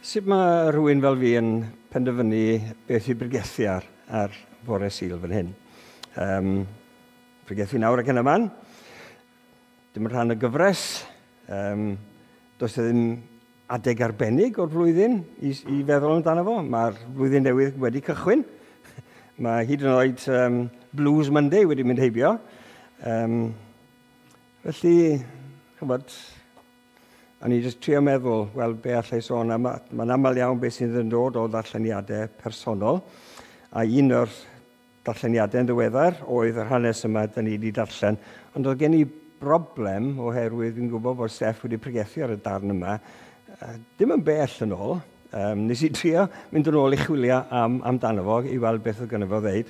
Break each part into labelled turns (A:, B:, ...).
A: Sut mae rhywun fel fi yn penderfynu beth i bregethu ar fore Sul fan hyn? Pregethu nawr ac yn y man. Dim yn rhan o gyfres. Does e ddim adeg arbennig o'r flwyddyn i feddwl amdano fo. Mae'r flwyddyn newydd wedi cychwyn. Mae hyd yn oed Blues Monday wedi mynd heibio. Felly, chybod, o'n i jyst trio meddwl, wel, be allai sôn am, mae'n aml iawn beth sydd yn dod o ddarlleniadau personol, a un o'r darlleniadau yn ddiweddar oedd yr hanes yma dyn ni wedi darllen, ond oedd gen i broblem oherwydd fi'n gwybod bod Steff wedi pregethu ar y darn yma, dim yn bell yn ôl. Nes i trio mynd yn ôl i chwilio amdano fo, i weld beth oedd gynno fo ddeud,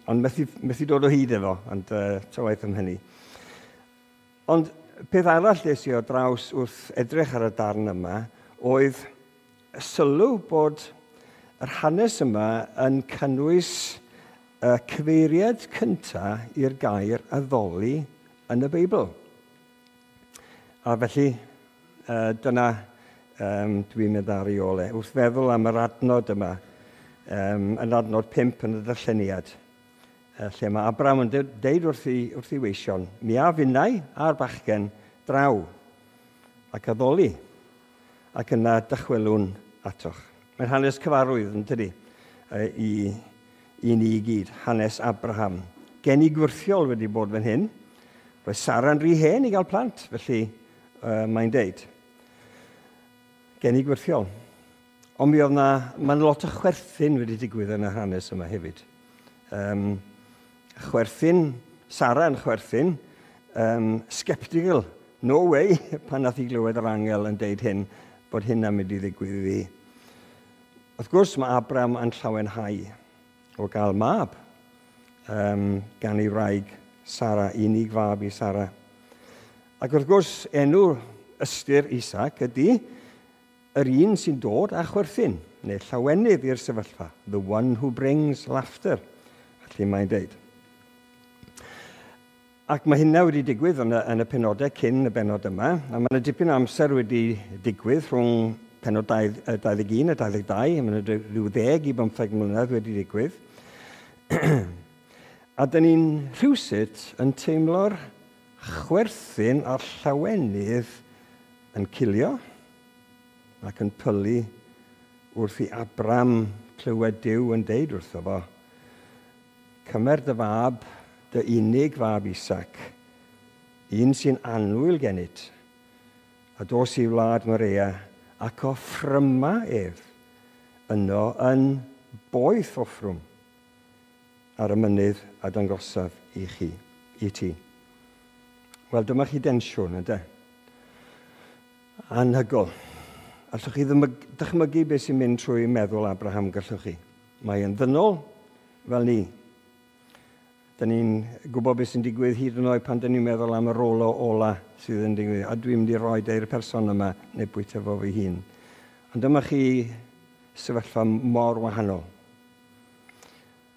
A: ond methu dod o hyd efo, ond ta waeth am hynny. Ond peth arall des i o draws wrth edrych ar y darn yma oedd sylw bod yr hanes yma yn cynnwys y cyfeiriad cyntaf i'r gair addoli yn y Beibl. A felly, dyna dwi'n mynd ar ei ôl e. Wrth feddwl am yr adnod yma, yn adnod 5 yn y darlleniad, lle mae Abraham yn deud wrth ei weision, mi a finnau a'r bachgen draw ac addoli, ac yna dychwelwn atoch. Mae'n hanes cyfarwydd, yn tydi, i ni i gyd, hanes Abraham. Geni gwyrthiol wedi bod fan hyn. Roedd Sara'n rhy hen i gael plant, felly mae'n deud. Geni gwyrthiol. Ond mi oedd na, mae'n lot o chwerthin wedi digwydd yn yr hanes yma hefyd. Chwerthin, Sara yn chwerthin, sceptical, no way, pan nath i glywed yr angel yn deud hyn, bod hynna'n mynd i ddigwydd iddi. Wrth gwrs, mae Abraham yn llawenhau o gael mab gan ei wraig Sara, unig fab i Sara. Ac wrth gwrs, enw ystyr Isaac ydy yr un sy'n dod â chwerthin, neu llawenydd i'r sefyllfa, the one who brings laughter, felly mae'n deud. Ac mae hynna wedi digwydd yn y penodau cyn y benod yma, a mae yna dipyn o amser wedi digwydd rhwng penod 21 a 22, mae yna rhyw 10 i 15 mlynedd wedi digwydd. A dyn ni'n rhywsut yn teimlo'r chwerthin a'r llawenydd yn cilio ac yn pylu wrth i Abraham clywed Duw yn deud wrtho fo, cymer dy fab, dy unig fab Isaac, un sy'n annwyl gennyt, a dos i wlad Morea, ac offryma ef yno yn boeth offrwm ar y mynydd a dangosaf i chi, i ti. Wel, dyma chi densiwn, ynde? Anhygoel. Allwch chi dychmygu beth sy'n mynd trwy meddwl Abraham, gallwch chi. Mae yn ddynol fel ni. Dyn ni'n gwybod beth sy'n digwydd hyd yn oed pan dyn ni'n meddwl am y rolo ola sydd yn digwydd. A dwi'n mynd i roi i'r person yma neu bwyta fo fy hun. Ond dyma chi sefyllfa mor wahanol.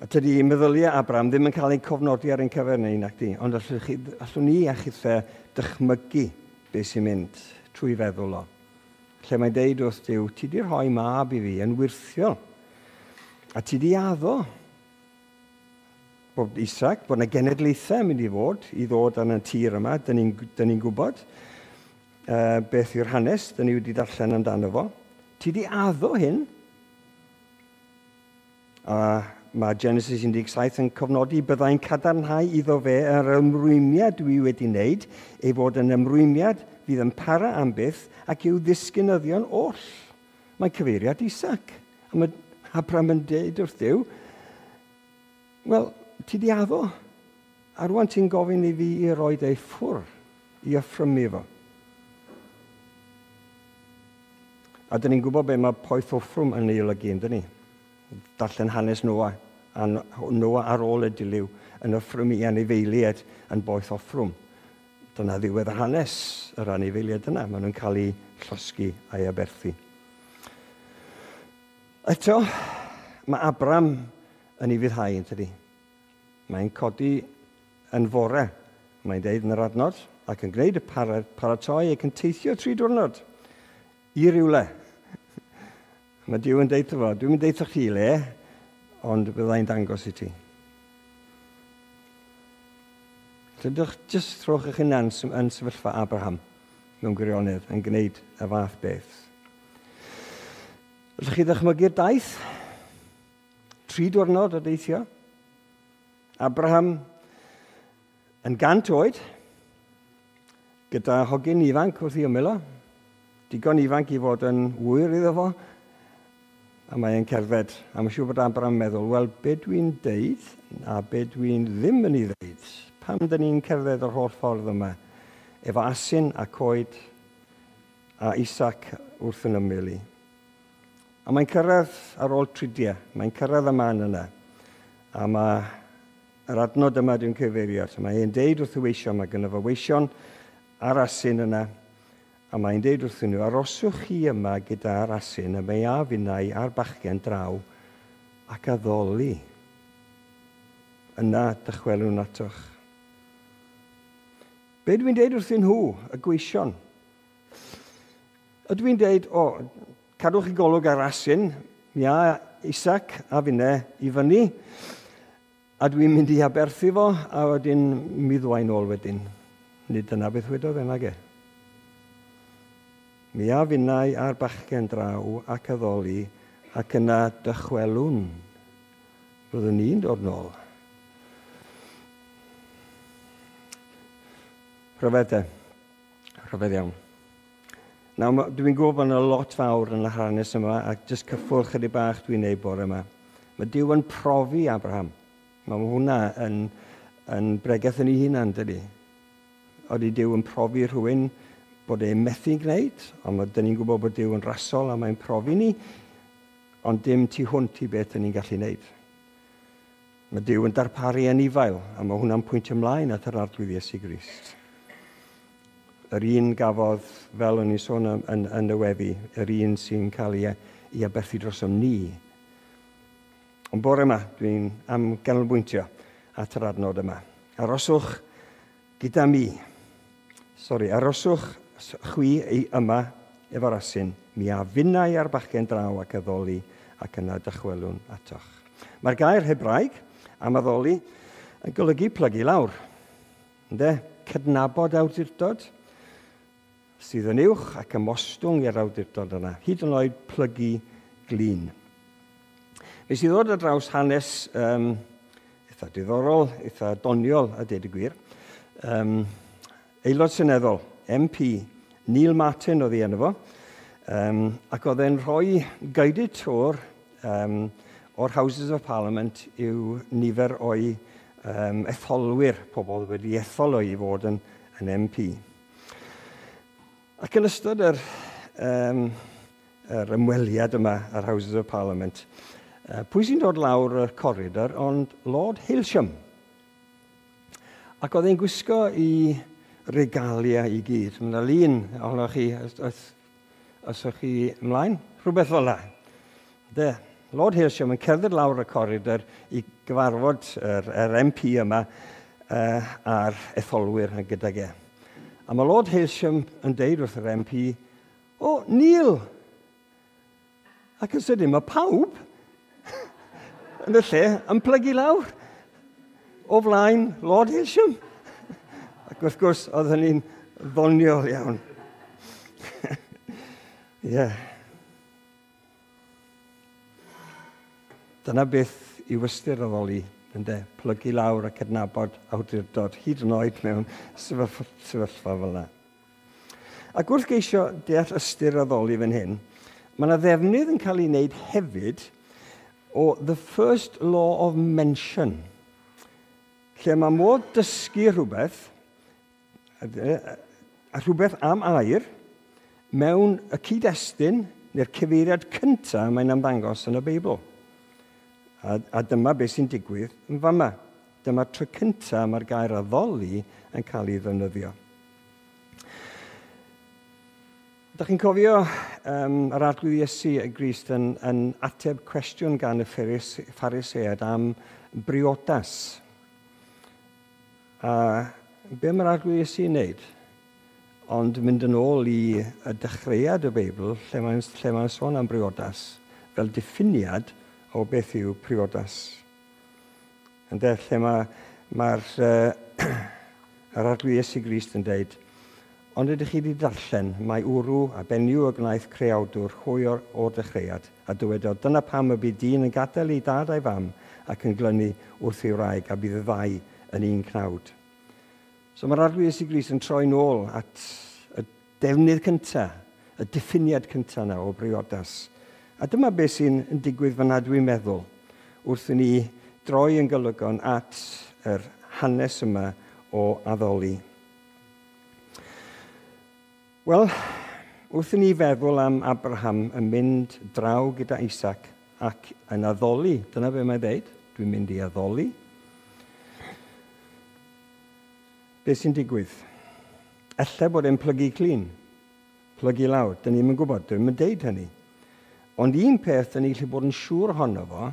A: A tydi meddyliau Abraham ddim yn cael ei cofnodi ar ein cyfer ni, nac di. Ond allwn ni a chithe dychmygu beth sy'n mynd trwy feddwl o. Lle mae'n deud wrth Duw, ti di rhoi mab i fi yn wyrthiol. A ti di addo bod Isaac, bod yna genedlaethau yn mynd i fod, i ddod ar y tir yma, dyn ni'n gwybod beth yw'r hanes, dyn ni wedi darllen amdano fo. Ti di addo hyn. A mae Genesis 17 yn cofnodi byddai'n cadarnhau iddo fe yr ymrwymiad dwi wedi wneud, ei fod yn ymrwymiad fydd yn para am byth ac i'w ddisgynyddion oll. Mae'n cyfeiriad Isaac. A mae Abraham yn deud wrth Duw, wel, ti di addo. A rwan ti'n gofyn i fi i roi ei ffwr, i offrymu fo. A dyn ni'n gwybod be mae poeth offrwm yn ei olygu, yndyn ni? Darllen hanes Noa, a Noa ar ôl y dilyw yn offrymu anifeiliaid yn boeth offrwm. Dyna ddiwedd yr hanes yr anifeiliaid yna. Maen nhw'n cael eu llosgi a'i aberthu. Eto, mae Abraham yn ei fuddhau, yn tydi? Mae'n codi yn fore, mae'n deud yn yr adnod, ac yn gwneud y paratoi ac yn teithio 3 diwrnod i rywle. Mae Duw yn deud fo, dwi'n mynd deud chi le, ond byddai'n dangos i ti. Dydych jyst rhowch eich hunan yn sefyllfa Abraham mewn gwirionedd yn gwneud y fath beth. Ydych chi ddychmygu'r daith? 3 diwrnod o deithio. Abraham yn 100 oed, gyda hogyn ifanc wrth ei ymyl o, digon ifanc i fod yn ŵyr iddo fo, a mae e'n cerdded. A mae'n siŵr bod Abraham yn meddwl, wel, be dwi'n deud a be dwi'n ddim yn ei ddeud? Pam dyn ni'n cerdded yr holl ffordd yma? Efo asyn a coed a Isaac wrth yn ymyl i. A mae'n cyrraedd ar ôl tridiau. Mae'n cyrraedd y man yna. A mae yr adnod yma dwi'n cyfeirio at. Mae e'n deud wrth y weision, mae gynno fo weision a'r asyn yna, a mae'n deud wrthyn nhw, aroswch chi yma gyda'r asyn, a mae a finnau a'r bachgen draw ac addoli. Yna dychwelwn atoch. Be dwi'n deud wrthyn nhw, y gweision? Ydw i'n deud, o, cadwch chi golwg ar asyn, mi a Isaac a finne i fyny, a dwi'n mynd i aberthu fo, a wedyn mi ddwain ôl wedyn. Nid dyna beth wedodd e, nage. Mi a finnau a'r bachgen draw ac addoli, ac yna dychwelwn. Byddwn ni'n dod nôl. Rhyfedd de. Rhyfedd iawn. Nawr, dwi'n gwybod bod yna lot fawr yn y hanes yma, ac jyst cyffwrdd chydig bach dwi'n neud bore yma. Mae Duw yn profi Abraham. Mae hwnna yn bregeth yn ei hunan, dydy. Oeddi Duw yn profi rhywun bod e'n methu gwneud, ond dyn ni'n gwybod bod Duw yn rasol a mae'n profi ni, ond dim tu hwnt i beth dyn ni'n gallu gwneud. Mae Duw yn darparu anifail, a mae hwnna'n pwyntio ymlaen at yr Arglwydd Iesu Grist. Yr un gafodd, fel o'n i'n sôn yn y weddi, yr un sy'n cael ei aberthu drosom ni. Ond bore yma, dwi'n am ganolbwyntio at yr adnod yma. Aroswch gyda mi. Sori, aroswch chwi yma efo'r asyn. Mi a finnau a'r bachgen draw ac addoli ac yna dychwelwn atoch. Mae'r gair Hebraeg am addoli yn golygu plygu lawr. Ynde? Cydnabod awdurdod sydd yn uwch ac ymostwng i'r awdurdod yna. Hyd yn oed plygu glin. Nes i ddod ar draws hanes eitha diddorol, eitha doniol, a deud y gwir. Aelod Seneddol, MP, Neil Martin oedd ei enw fo, ac oedd e'n rhoi guided tour o'r Houses of Parliament i'w nifer o'i etholwyr, pobl wedi ethol o'i fod yn MP. Ac yn ystod yr ymweliad yma ar Houses of Parliament, pwy sy'n dod lawr y corridor ond Lord Hailsham. Ac oedd e'n gwisgo i regalia i gyd. Mae yna lun ohonoch chi, os o'ch chi ymlaen, rhywbeth fel 'na. De, Lord Hailsham yn cerdded lawr y corridor i gyfarfod yr MP yma a'r etholwyr gydag e. A mae Lord Hailsham yn deud wrth yr MP, o, Neil! Ac yn sydyn, mae pawb yn y lle yn plygu lawr o flaen Lord Hailsham. Ac wrth gwrs, oedd hynny'n ddoniol iawn. Ie. Dyna beth yw ystyr addoli, ynde? Plygu lawr a cydnabod awdurdod, hyd yn oed mewn sefyllfa fel yna. Ac wrth geisio deall ystyr addoli fan hyn, mae yna ddefnydd yn cael ei wneud hefyd o the first law of mention, lle mae modd dysgu rhywbeth, a rhywbeth am air, mewn y cyd-destun neu'r cyfeiriad cyntaf mae'n ymddangos yn y Beibl. A dyma beth sy'n digwydd yn fama. Dyma'r tro cyntaf mae'r gair addoli yn cael ei ddefnyddio. Dach chi'n cofio yr Arglwydd Iesu y Grist yn ateb cwestiwn gan y Phariseaid am briodas. A be mae'r Arglwydd Iesu'n wneud? Ond mynd yn ôl i y dechreuad y Beibl, lle mae'n sôn am briodas, fel diffiniad o beth yw priodas. Ynde, lle mae'r yr Arglwydd Iesu Grist yn deud, ond ydych chi wedi darllen, mae wrw a benyw y gwnaeth creawdwr hwy o'r dechreuad, a dywedodd, dyna pam y bydd dyn yn gadael ei dad a'i fam ac yn glynu wrth ei wraig, a bydd y ddau yn un cnawd. So mae'r Arglwydd Iesu Grist yn troi nôl at y defnydd cyntaf, y diffiniad cyntaf yna o briodas. A dyma beth sy'n digwydd fyna dwi'n meddwl, wrth i ni droi yn golygon at yr hanes yma o addoli. Wel, wrth i ni feddwl am Abraham yn mynd draw gyda Isaac ac yn addoli, dyna be mae'n dweud, dwi'n mynd i addoli. Be sy'n digwydd? Ella bod e'n plygu clun, plygu lawr, dyn ni'm yn gwybod, dwi'n yn deud hynny. Ond un peth dyn ni'n gallu bod yn siŵr ohono fo,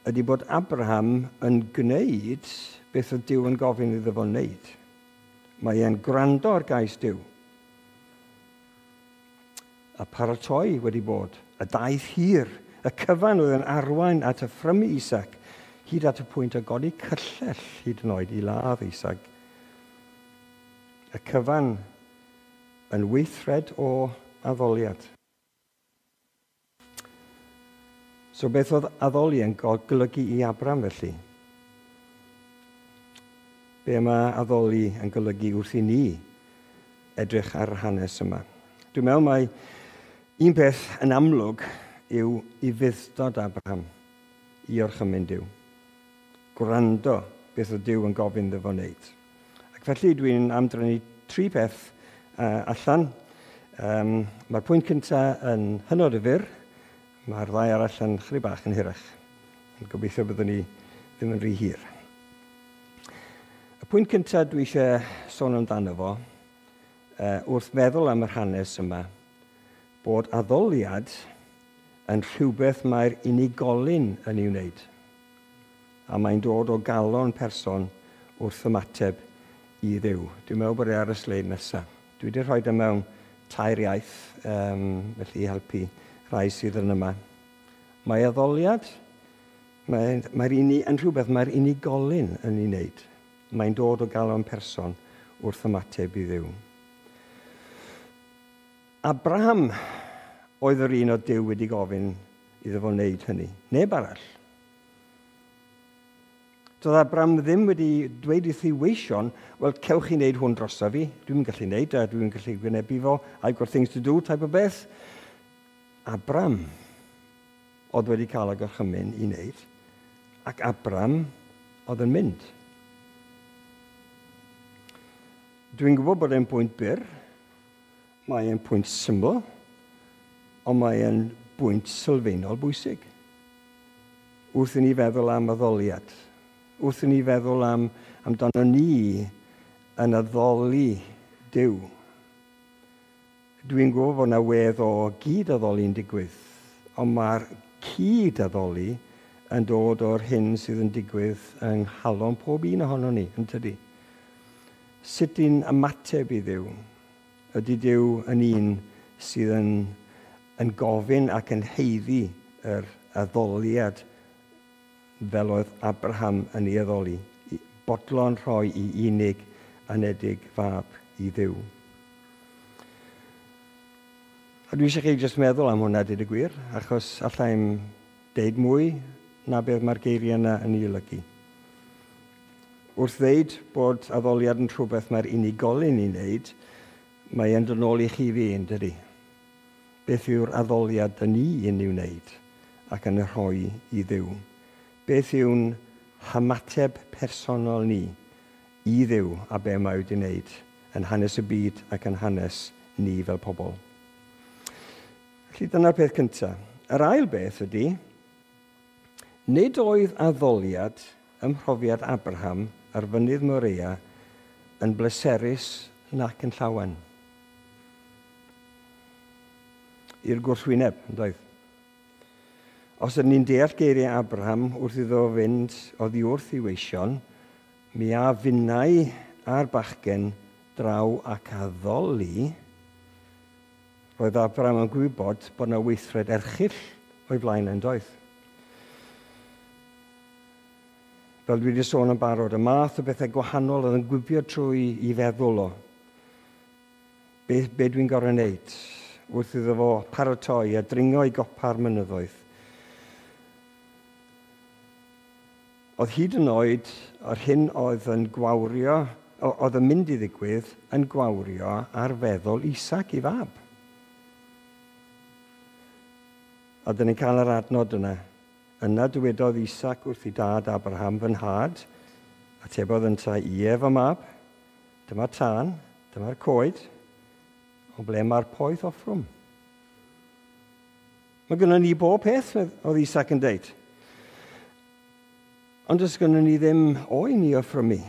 A: ydy bod Abraham yn gwneud beth oedd Duw yn gofyn iddo fo wneud. Mae e'n gwrando ar gais Duw. A paratoi wedi bod, y daith hir, y cyfan oedd yn arwain at y ffrymu Isaac, hyd at y pwynt o godi cyllell hyd yn oed i ladd Isaac. Y cyfan yn weithred o addoliad. So beth oedd addoli yn golygu i Abraham felly? Be mae addoli yn golygu wrth i ni edrych ar yr hanes yma? Dwi'n meddwl mai un peth yn amlwg yw ufudd-dod Abraham i orchymyn Duw. Gwrando beth oedd Duw yn gofyn iddo fo wneud. Ac felly dwi'n amdrenu tri peth allan. Mae'r pwynt cyntaf yn hynod o fyr, mae'r ddau arall yn chydig bach yn hirach. Yn gobeithio byddwn ni ddim yn rhy hir. Y pwynt cyntaf dwi eisiau sôn amdano fo, wrth meddwl am yr hanes yma, bod addoliad yn rhywbeth mae'r unigolyn yn ei wneud. A mae'n dod o galon person wrth ymateb i Dduw. Dwi'n meddwl bod e ar y sleid nesaf. Dwi wedi rhoi e mewn tair iaith, felly i helpu rhai sydd yn yma. Mae addoliad, mae'r yn rhywbeth mae'r unigolyn yn ei wneud. Mae'n dod o galon person wrth ymateb i Dduw. Abraham oedd yr un o Duw wedi gofyn iddo fo wneud hynny. Neb arall. Doedd Abraham ddim wedi dweud wrth ei weision, wel, cewch chi wneud hwn drosof fi, dwi'n gallu wneud, a dwi'n gallu gwynebu fo, I've got things to do, type o beth. Abraham oedd wedi cael y gorchymyn i wneud, ac Abraham oedd yn mynd. Dwi'n gwybod bod e'n pwynt byr, mae e'n pwynt syml, ond mae e'n bwynt sylfaenol bwysig. Wrth i ni feddwl am addoliad, wrth i ni feddwl amdano ni yn addoli Duw. Dwi'n gwybod bod yna wedd o gyd-addoli'n digwydd, ond mae'r cyd-addoli yn dod o'r hyn sydd yn digwydd yng nghalon pob un ohono ni, yn tydi? Sut i'n ymateb i Dduw? Ydy Duw yn un sydd yn gofyn ac yn haeddu yr addoliad fel oedd Abraham yn ei addoli, bodlon rhoi i unig anedig fab i Dduw. A dwi eisiau chi jyst meddwl am hwnna, dweud y gwir, achos allai'm deud mwy na beth mae'r geiriau yna yn ei olygu. Wrth ddeud bod addoliad yn rhywbeth mae'r unigolyn ei wneud, mae e'n dod nôl i chi fi, yn dydi? Beth yw'r addoliad dyn ni yn ei wneud ac yn y rhoi i Dduw? Beth yw'n hymateb personol ni i Dduw a be mae wedi wneud yn hanes y byd ac yn hanes ni fel pobl? Felly dyna'r peth cyntaf. Yr ail beth ydy, nid oedd addoliad ym mhrofiad Abraham ar fynydd Moria yn bleserus nac yn llawen. I'r gwrthwyneb, yn doedd. Os ydyn ni'n deall geiriau Abraham wrth iddo fynd oddi wrth ei weision, mi a finnau a'r bachgen draw ac addoli, roedd Abraham yn gwybod bod yna weithred erchyll o'i flaen yn doedd. Fel dwi wedi sôn yn barod, y math o bethau gwahanol oedd yn gwibio trwy i feddwl o. Be dwi'n gorfod wneud wrth iddo fo paratoi a dringo i gopa'r mynyddoedd. Oedd hyd yn oed yr hyn oedd yn gwawrio, oedd yn mynd i ddigwydd, yn gwawrio ar feddwl Isaac i fab. A dyn ni'n cael yr adnod yna. Yna dywedodd Isaac wrth ei dad Abraham, fy nhad, atebodd yntau, ie fy mab, dyma'r tân, dyma'r coed, ond ble mae'r poeth offrwm? Mae gynnon ni bob peth, oedd Isaac yn deud. Ond does gynnon ni ddim oen i offrymu.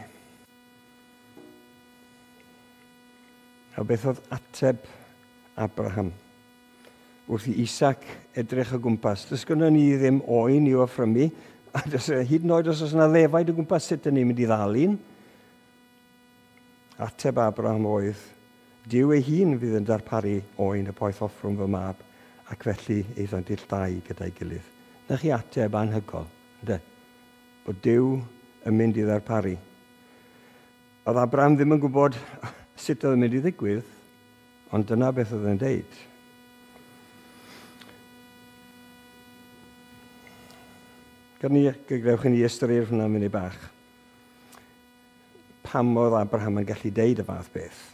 A: A beth oedd ateb Abraham? Wrth i Isaac edrych o gwmpas. Does gynnon ni ddim oen i'w offrymu, a does, hyd yn oed os oes yna ddefaid o gwmpas, sut ydyn ni'n mynd i ddal un? Ateb Abraham oedd, Duw ei hun fydd yn darparu oen y poeth offrwm fy mab, ac felly aethant ill dau gyda'i gilydd. Na chi ateb anhygol, ynde? Bod Duw yn mynd i ddarparu. Oedd Abraham ddim yn gwybod sut oedd yn mynd i ddigwydd, ond dyna beth oedd yn deud. Gadewch i ni ystyried hwnna munud bach. Pam oedd Abraham yn gallu deud y fath beth?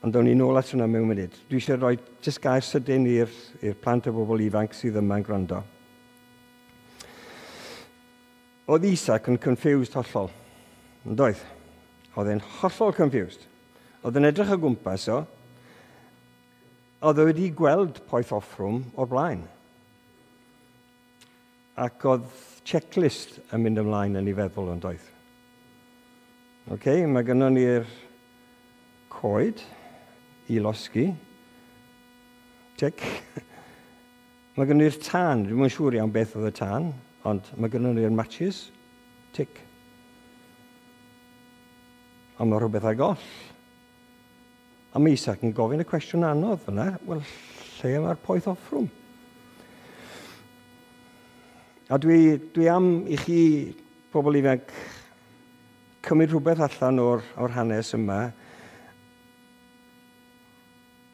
A: Ond down ni nôl at hwnna mewn munud. Dwi eisiau rhoi jyst gair sydyn i'r plant a bobl ifanc sydd yma'n gwrando. Oedd Isaac yn confused hollol. Yn doedd? Oedd e'n hollol confused. Oedd e'n edrych o gwmpas o. Oedd e wedi gweld poeth offrwm o'r blaen. Ac oedd checklist yn mynd ymlaen yn ei feddwl yn doedd. Okay, mae gynnon ni'r coed i losgi. Tic. Mae gynnon ni'r tân. Dwi'm yn siŵr iawn beth oedd y tân, ond mae gynnon ni'r matches. Tic. Ond mae rhywbeth ar goll. A mae Isaac yn gofyn y cwestiwn anodd fyna. Wel, lle mae'r poeth offrwm? A dwi am i chi, pobl ifanc, cymryd rhywbeth allan o'r hanes yma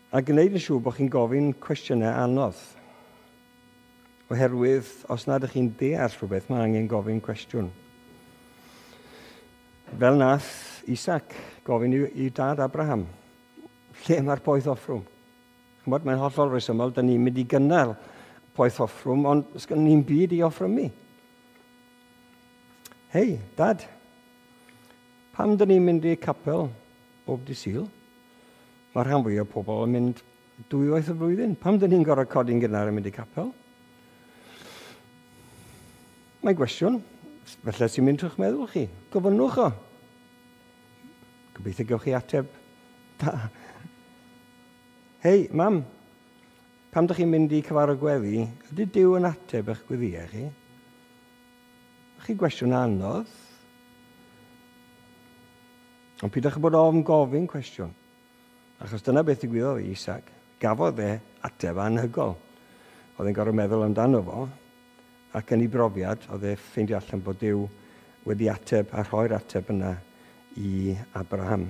A: a gwneud yn siŵr bod chi'n gofyn cwestiynau anodd. Oherwydd, os nad ydych chi'n deall rhywbeth, mae angen gofyn cwestiwn. Fel nath Isaac gofyn i dad Abraham, lle mae'r poeth offrwm? Ch'mod, mae'n hollol resymol, dyn ni'n mynd i gynnal poeth offrwm, ond sgynnon ni'm byd i offrymu. Hei, dad, pam dyn ni'n mynd i capel bob dydd Sul? Mae rhan fwyaf o pobl yn mynd dwywaith y flwyddyn. Pam dyn ni'n gorfod codi'n gynnar yn mynd i capel? Mae'n gwestiwn. Felly sy'n mynd trwy'ch meddwl chi. Gofynnwch o. Gobeithio gewch chi ateb da. Hei, mam, pam dych chi'n mynd i cyfarfod gweddi, ydy Duw yn ateb eich gweddïau chi? Chi gwestiwn anodd. Ond pidwch â bod ofn gofyn cwestiwn. Achos dyna beth ddigwyddodd i Isaac. Gafodd e ateb anhygol. Oedd e'n gorfod meddwl amdano fo, ac yn ei brofiad, oedd e ffeindio allan bod Duw wedi ateb a rhoi'r ateb yna i Abraham.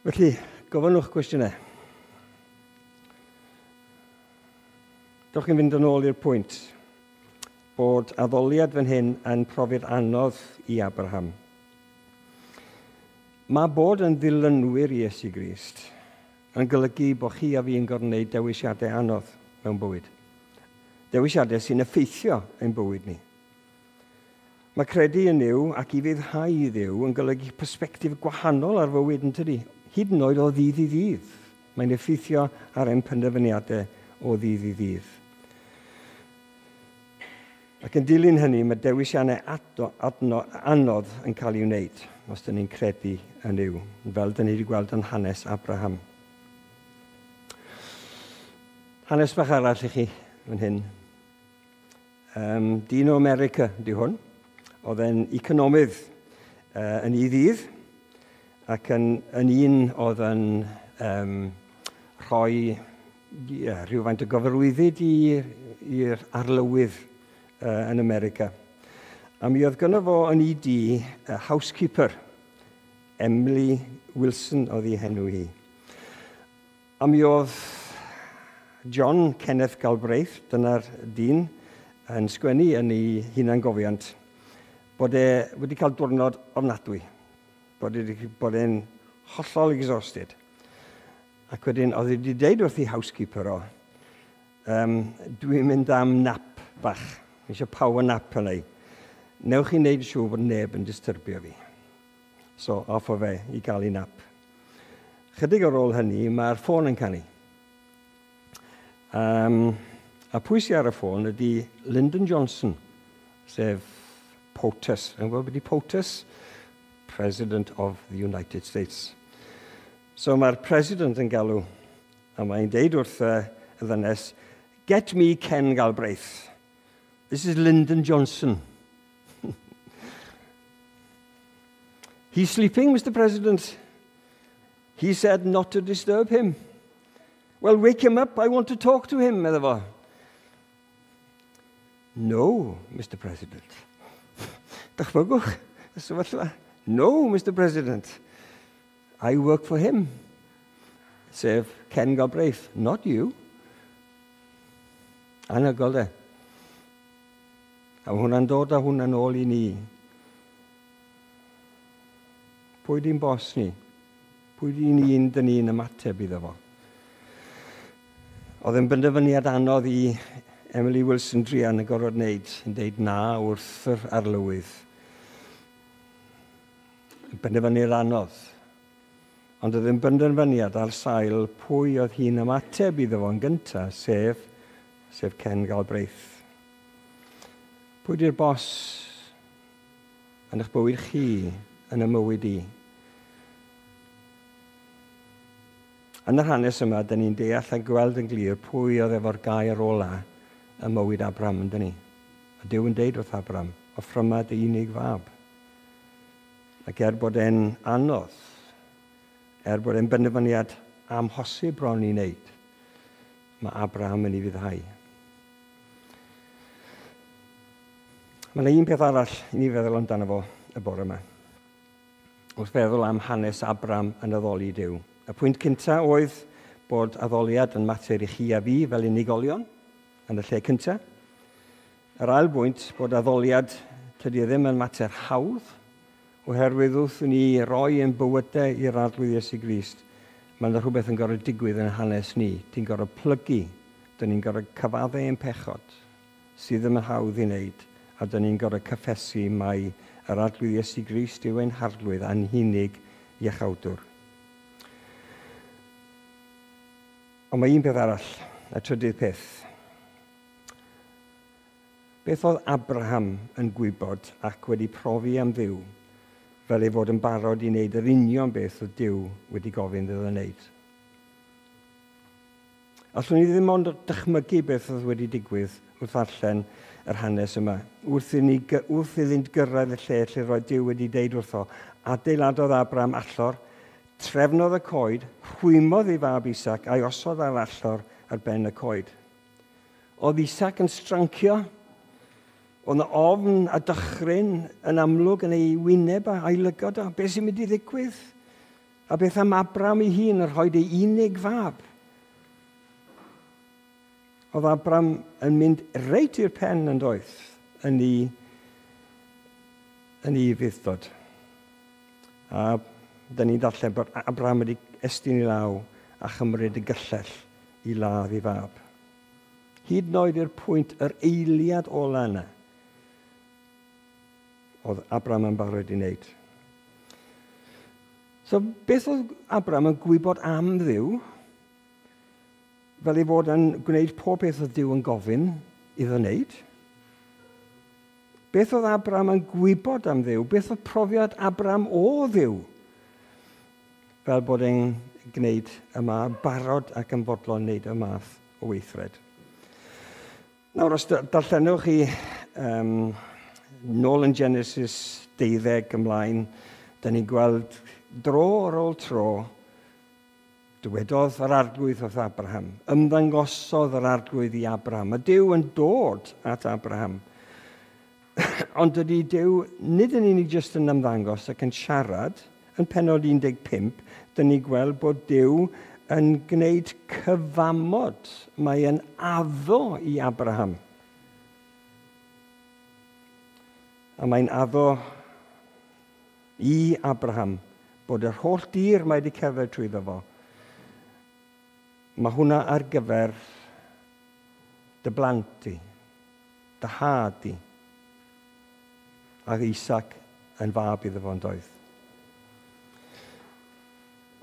A: Felly, gofynnwch gwestiynau. Dewch chi'n fynd yn ôl i'r pwynt bod addoliad fan hyn yn profiad anodd i Abraham. Mae bod yn ddilynwyr Iesu Grist yn golygu bod chi a fi yn gorfod gwneud dewisiadau anodd mewn bywyd. Dewisiadau sy'n effeithio ein bywyd ni. Mae credu yn Nuw ac i ufuddhau i Dduw yn golygu persbectif gwahanol ar fywyd yn tydi, hyd yn oed o ddydd i ddydd. Mae'n effeithio ar ein penderfyniadau o ddydd i ddydd. Ac yn dilyn hynny, mae dewisiannau anodd yn cael ei wneud os dyn ni'n credu yn Nuw, fel dyn ni wedi gweld yn hanes Abraham. Hanes bach arall i chi fan hyn. Dyn o America di hwn. Oedd e'n economydd yn ei ddydd ac yn un oedd yn rhoi yeah, rhywfaint o gyfarwyddyd i'r arlywydd yn America. A mi oedd gynno fo yn ei dŷ housekeeper, Emily Wilson oedd ei henw hi. A mi oedd John Kenneth Galbraith, dyna'r dyn, yn sgwennu yn ei hunangofiant, bod e wedi cael diwrnod ofnadwy, bod e'n hollol exhausted. Ac wedyn, oedd wedi deud wrth ei housekeeper o, "Dwi'n mynd am nap bach, eisiau power nap yna i. Newch chi wneud siŵr bod neb yn disturbio fi." So, off o fe i gael ei nap. Chydig ar ôl hynny, mae'r ffôn yn canu. A pwy sy'n ar y ffôn ydy Lyndon Johnson, sef POTUS. Yn gwybod beth ydy POTUS? President of the United States. So mae'r president yn galw, a mae'n deud wrth y ddynes, "Get me Ken Galbraith. This is Lyndon Johnson." "He's sleeping, Mr. President. He said not to disturb him." "Well, wake him up. I want to talk to him," medda fo. "No, Mr. President." Dychmygwch y sefyllfa. "No, Mr. President. I work for him." Sef Ken Galbraith, "not you." Anhygoel de. A hwnna'n dod â hwnna'n ôl i ni. Pwy di'n bos ni? Pwy di'n un dyn ni'n ymateb iddo fo? Oedd yn benderfyniad anodd i Emily Wilson druan y gorfod wneud, yn deud na wrth yr arlywydd. Benderfyniad anodd. Ond oedd yn benderfyniad ar sail pwy oedd hi'n ymateb iddo fo'n gyntaf, sef Ken Galbraith. Pwy di'r bos yn eich bywyd chi, yn y mywyd i? Yn yr hanes yma, dyn ni'n deall a gweld yn glir pwy oedd efo'r gair ola ym mywyd Abraham, yn dyn ni. A Duw yn deud wrth Abraham, "Offryma dy unig fab." Ac er bod e'n anodd, er bod e'n benderfyniad amhosib bron i wneud, mae Abraham yn ufuddhau. Mae yna un peth arall i ni feddwl amdano fo y bore yma, wrth feddwl am hanes Abraham yn addoli Duw. Y pwynt cyntaf oedd bod addoliad yn mater i chi a fi fel unigolion yn y lle cyntaf. Yr ail bwynt, bod addoliad tydi e ddim yn mater hawdd, oherwydd wrth i ni roi ein bywydau i'r Arglwydd Iesu Grist, mae yna rhywbeth yn gorfod digwydd yn hanes ni. Ti'n gorfod plygu, dyn ni'n gorfod cyfaddau ein pechod, sydd ddim yn hawdd i wneud, a dyn ni'n gorfod cyffesu mai yr Arglwydd Iesu Grist yw ein harglwydd a'n hunig iachawdwr. Ond mae un peth arall, y trydydd peth. Beth oedd Abraham yn gwybod ac wedi profi am Dduw fel ei fod yn barod i wneud yr union beth oedd Duw wedi gofyn iddo wneud? Allwn ni ddim ond dychmygu beth oedd wedi digwydd wrth ddarllen yr hanes yma. Wrth iddynt gyrraedd y lle lle roedd Duw wedi deud wrtho, adeiladodd Abraham allor, trefnodd y coed, rhwymodd ei fab Isaac a'i osod ar allor ar ben y coed. Oedd Isaac yn strancio, oedd yna ofn a dychryn yn amlwg yn ei wyneb a'i lygod o. Beth sy'n mynd i ddigwydd? A beth am Abraham ei hun yn rhoi ei unig fab? Oedd Abraham yn mynd reit i'r pen yn doedd yn ei ufudd-dod. A dyn ni'n darllen bod Abraham wedi estyn ei law a chymryd y gyllell i ladd ei fab. Hyd yn oed i'r pwynt yr eiliad ola yna, oedd Abraham yn barod i wneud. So, beth oedd Abraham yn gwybod am Dduw, fel ei fod yn gwneud pob beth oedd Duw yn gofyn iddo wneud? Beth oedd Abraham yn gwybod am Dduw? Beth oedd profiad Abraham o Dduw? Fel bod e'n gwneud yma, barod ac yn fodlon wneud y math o weithred. Nawr, os darllenwch chi nôl yn Genesis 12 ymlaen, da ni'n gweld dro ar ôl tro. Dywedodd yr Arglwydd wrth Abraham. Ymddangosodd yr Arglwydd i Abraham. Mae Duw yn dod at Abraham. Ond dydy Duw nid yn unig jyst yn ymddangos ac yn siarad, yn pennod 15, dyn ni gweld bod Duw yn gwneud cyfamod. Mae yn addo i Abraham. A mae'n addo i Abraham bod yr holl dir mae wedi cerdded trwyddo fo, mae hwnna ar gyfer dy blant di, dy had di, ac Isaac yn fab iddo fo'n doedd.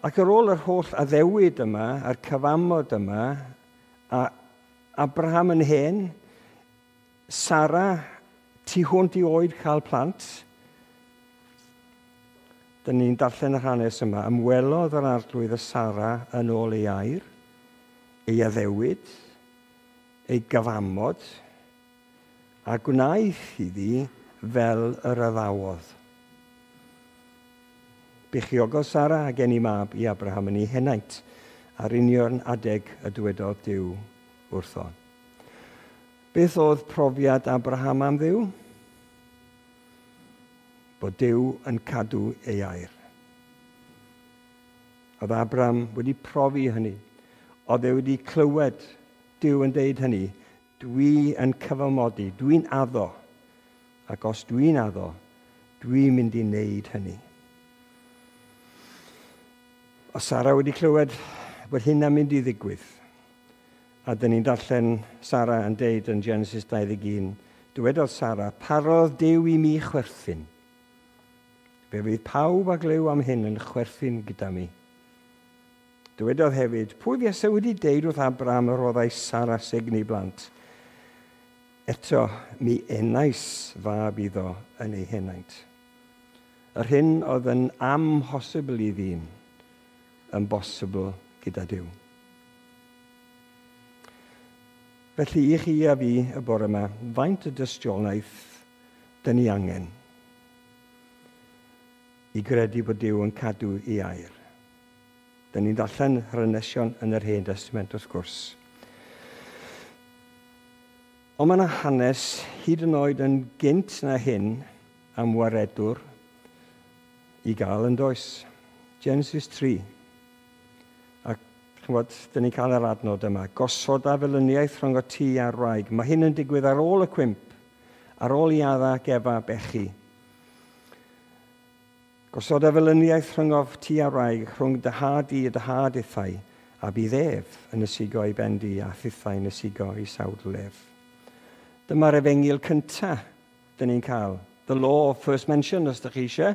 A: Ac ar ôl yr holl addewid yma, a'r cyfamod yma, a Abraham yn hen, Sara tu hwnt i oed cael plant, dyn ni'n darllen yr hanes yma, ymwelodd yr Arglwydd y Sara yn ôl ei air, ei addewid, ei gyfamod, a gwnaeth iddi fel yr addawodd. Beichiogodd Sara a geni mab i Abraham yn ei henaint, ar union adeg y dywedodd Duw wrtho. Beth oedd profiad Abraham am Dduw? Bod Duw yn cadw ei air. Oedd Abraham wedi profi hynny. Oedd e wedi clywed Duw yn deud hynny. Dwi yn cyfamodi, dwi'n addo. Ac os dwi'n addo, dwi'n mynd i wneud hynny. Oedd Sara wedi clywed bod hynna'n mynd i ddigwydd. A dyn ni'n darllen Sara yn deud yn Genesis 21, dywedodd Sara, parodd Duw i mi chwerthin. Fe fydd pawb a glyw am hyn yn chwerthin gyda mi. Dywedodd hefyd, pwy fuasai wedi deud wrth Abraham y roddai Sara sugn i blant? Eto, mi enais fab iddo yn ei henaint. Yr hyn oedd yn amhosibl i ddyn, yn bosibl gyda Duw. Felly i chi a fi y bore yma, faint y dystiolaeth dyn ni angen i gredu bod Duw yn cadw ei air? Dyn ni'n darllen yr hanesion yn yr Hen Destament wrth gwrs. Ond mae yna hanes hyd yn oed yn gynt na hyn am waredwr i gael yn does. Genesis 3. Ac chymod, dyn ni'n cael yr adnod yma. Gosod a felyniaeth rhwng o ti a'r wraig. Mae hyn yn digwydd ar ôl y cwymp, ar ôl i Adda ac Efa bechu. Gosod a felyniaeth rhwng o ti a'r wraig, rhwng dy had i a dy had ithau, a bydd ef yn ysigo i ben di a thithau yn ysigo i sawdl ef. Dyma'r efengyl cyntaf dyn ni'n cael. The law of first mention, os ydych chi eisiau.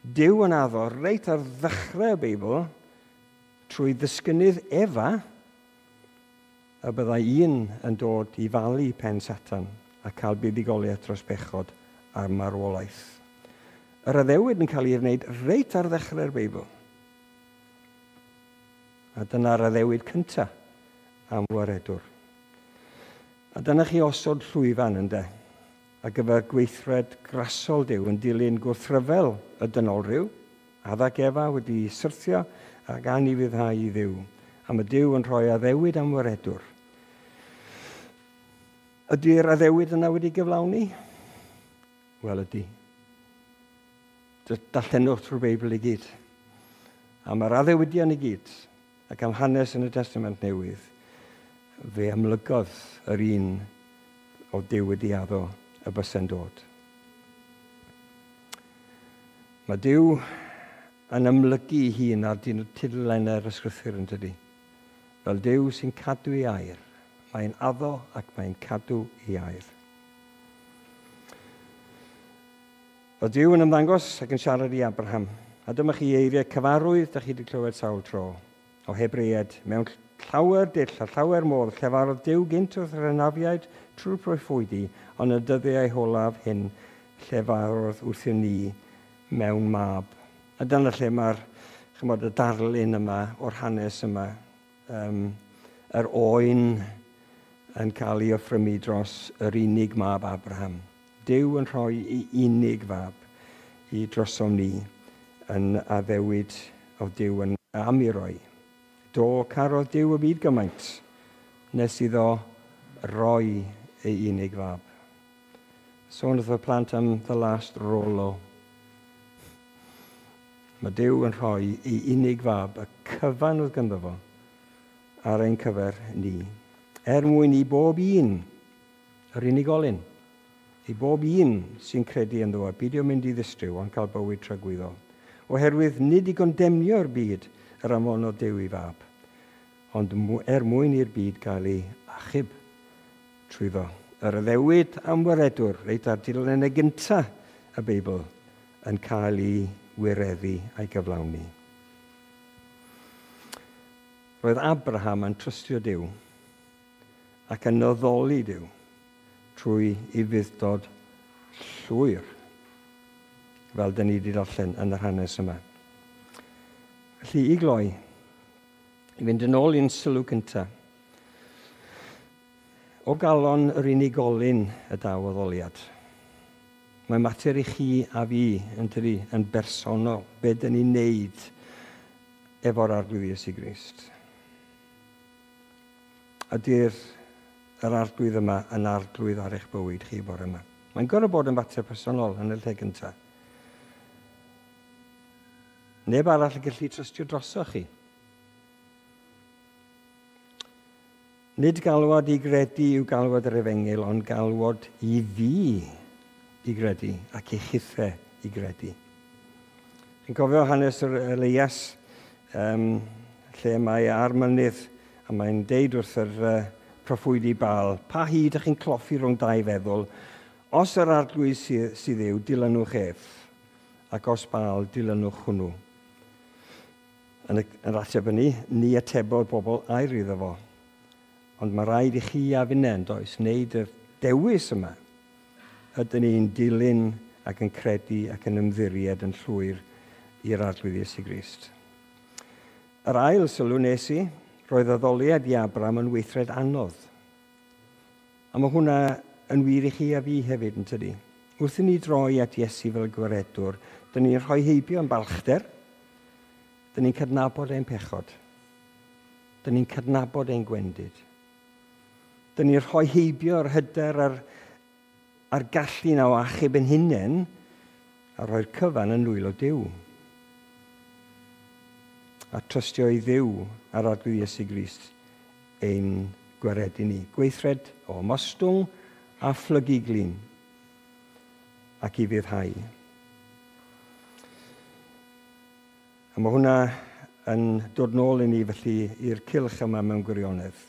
A: Duw yn addo reit ar ddechrau y Beibl, trwy ddisgynnydd Efa, y byddai un yn dod i falu pen Satan a cael buddugoliaeth dros bechod a'r marwolaeth. Yr addewid yn cael ei wneud reit ar ddechrau'r Beibl. A dyna'r addewid cyntaf am waredwr. A dyna chi osod llwyfan ynde, ar gyfer gweithred grasol Duw yn dilyn gwrthryfel y dynolryw, Adda ac Efa wedi syrthio ac anufuddhau i Dduw, a mae Duw yn rhoi addewid am waredwr. Ydy'r addewid yna wedi gyflawni? Wel, ydy. Darllenwch trwy'r Beibl i gyd. A mae'r addewidion i gyd, ac am hanes yn y Testament Newydd, fe amlygodd yr un o Duw wedi addo y byse'n dod. Mae Duw yn amlygu ei hun ar tudalennau'r ysgrythur yn dydy. Fel Duw sy'n cadw ei air. Mae'n addo ac mae'n cadw ei air. Oedd Duw yn ymddangos ac yn siarad i Abraham. A dyma chi eiriau cyfarwydd da chi wedi clywed sawl tro o Hebreaid mewn llawer dull a llawer modd llefarodd Duw gynt wrth yr hynafiaid trwy'r proffwydi, ond y dyddiau holaf hyn llefarodd wrthym ni mewn mab. A dyna lle mae'r, chymod, y darlun yma o'r hanes yma, yr oen yn cael ei offrymu dros yr unig mab Abraham. Duw yn rhoi ei unig fab i drosom ni yn addewid o Duw yn am i roi Do, carodd Duw y byd gymaint, nes iddo roi ei unig fab. Sôn wrth y plant am The Last Rolo. Mae Duw yn rhoi ei unig fab, y cyfan oedd ganddo fo, ar ein cyfer ni. Er mwyn i bob un, yr unigolyn, i bob un sy'n credu ynddo fo, beidio mynd i ddistryw, ond cael bywyd tragwyddol. Oherwydd nid i gondemnio'r byd yr anfonodd Duw ei fab, ond er mwyn i'r byd gael ei achub trwyddo. Yr addewid am waredwr, reit ar dudalennau gyntaf y Beibl, yn cael ei wireddu a'i gyflawni. Roedd Abraham yn trystio Duw ac yn addoli Duw trwy ufudd-dod llwyr, fel dyn ni wedi darllen yn yr hanes yma. Felly, i gloi, i fynd yn ôl i'n sylw cyntaf, o galon yr unigolyn y daw addoliad. Mae mater i chi a fi, yn tydi, yn bersonol, be dyn ni'n neud efo'r Arglwydd Iesu Grist. Ydy'r yr Arglwydd yma yn arglwydd ar eich bywyd chi bore yma? Mae'n gorfod bod yn fater personol yn y lle gyntaf. Neb arall yn gallu trystio drosoch chi. Nid galwad i gredu yw galwad yr efengyl, ond galwad i fi i gredu ac i chithe i gredu. Chi'n cofio hanes yr Elias, lle mae ar mynydd a mae'n deud wrth yr proffwydi Baal, pa hyd ych chi'n cloffi rhwng dau feddwl? Os yr Arglwydd sydd yw, dilynwch ef, ac os Baal, dilynwch hwnnw. Yn yr ateb hynny, ni atebodd bobl air iddo fo. Ond mae rhaid i chi a finne, yn does, wneud y dewis yma. Ydyn ni'n dilyn ac yn credu ac yn ymddiried yn llwyr i'r Arglwydd Iesu Grist. Yr ail sylw nes i, roedd addoliad i Abraham yn weithred anodd. A mae hwnna yn wir i chi a fi hefyd, yn tydi? Wrth i ni droi at Iesu fel gwaredwr, dyn ni'n rhoi heibio yn balchder, dyn ni'n cydnabod ein pechod, dyn ni'n cydnabod ein gwendid. Dyn ni'n rhoi heibio'r hyder a'r gallu na o achub ein hunain a rhoi'r cyfan yn nwylo Duw. A trystio i Dduw a'r Arglwydd Iesu Grist ein gwaredu ni. Gweithred o ymostwng a phlygu glin ac i fuddhau. A mae hwnna yn dod nôl i ni felly i'r cylch yma mewn gwirionedd.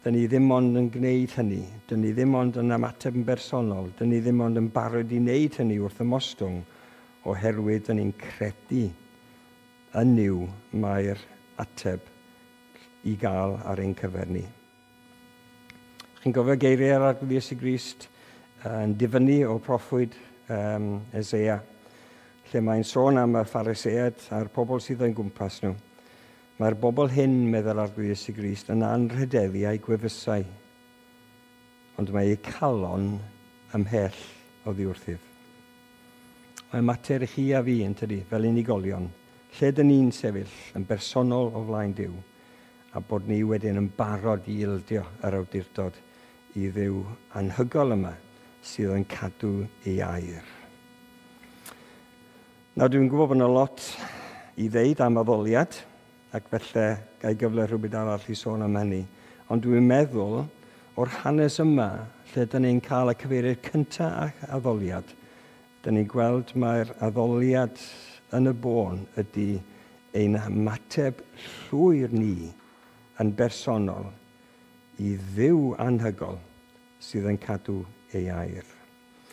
A: Dyn ni ddim ond yn gwneud hynny. Dyn ni ddim ond yn ymateb yn bersonol. Dyn ni ddim ond yn barod i wneud hynny wrth ymostwng, oherwydd dyn ni'n credu yn Nuw mae'r ateb i gael ar ein cyfer ni. Chi'n gofio geiriau yr Arglwydd Iesu Grist yn difynnu o proffwyd Eseia, lle mae'n sôn am y Phariseaid a'r pobl sydd o'n gwmpas nhw. Mae'r bobl hyn, meddwl Arglwydd Iesu Grist, yn anrhydeddu a'u gwefusau, ond mae eu calon ymhell oddi wrthyf. Mae'n mater i chi a fi, yn tydi, fel unigolion, lle dyn ni'n sefyll yn bersonol o flaen Duw, a bod ni wedyn yn barod i ildio yr awdurdod i Dduw anhygoel yma sydd yn cadw ei air. Nawr, dwi'n gwybod bod yna lot i ddeud am addoliad, ac felly gai gyfle rhywbeth arall i sôn am hynny. Ond dwi'n meddwl o'r hanes yma, lle dyn ni'n cael y cyfeiriad cyntaf ac addoliad, dyn ni'n gweld mae'r addoliad yn y bôn ydy ein ymateb llwyr ni yn bersonol i Dduw anhygoel sydd yn cadw ei air.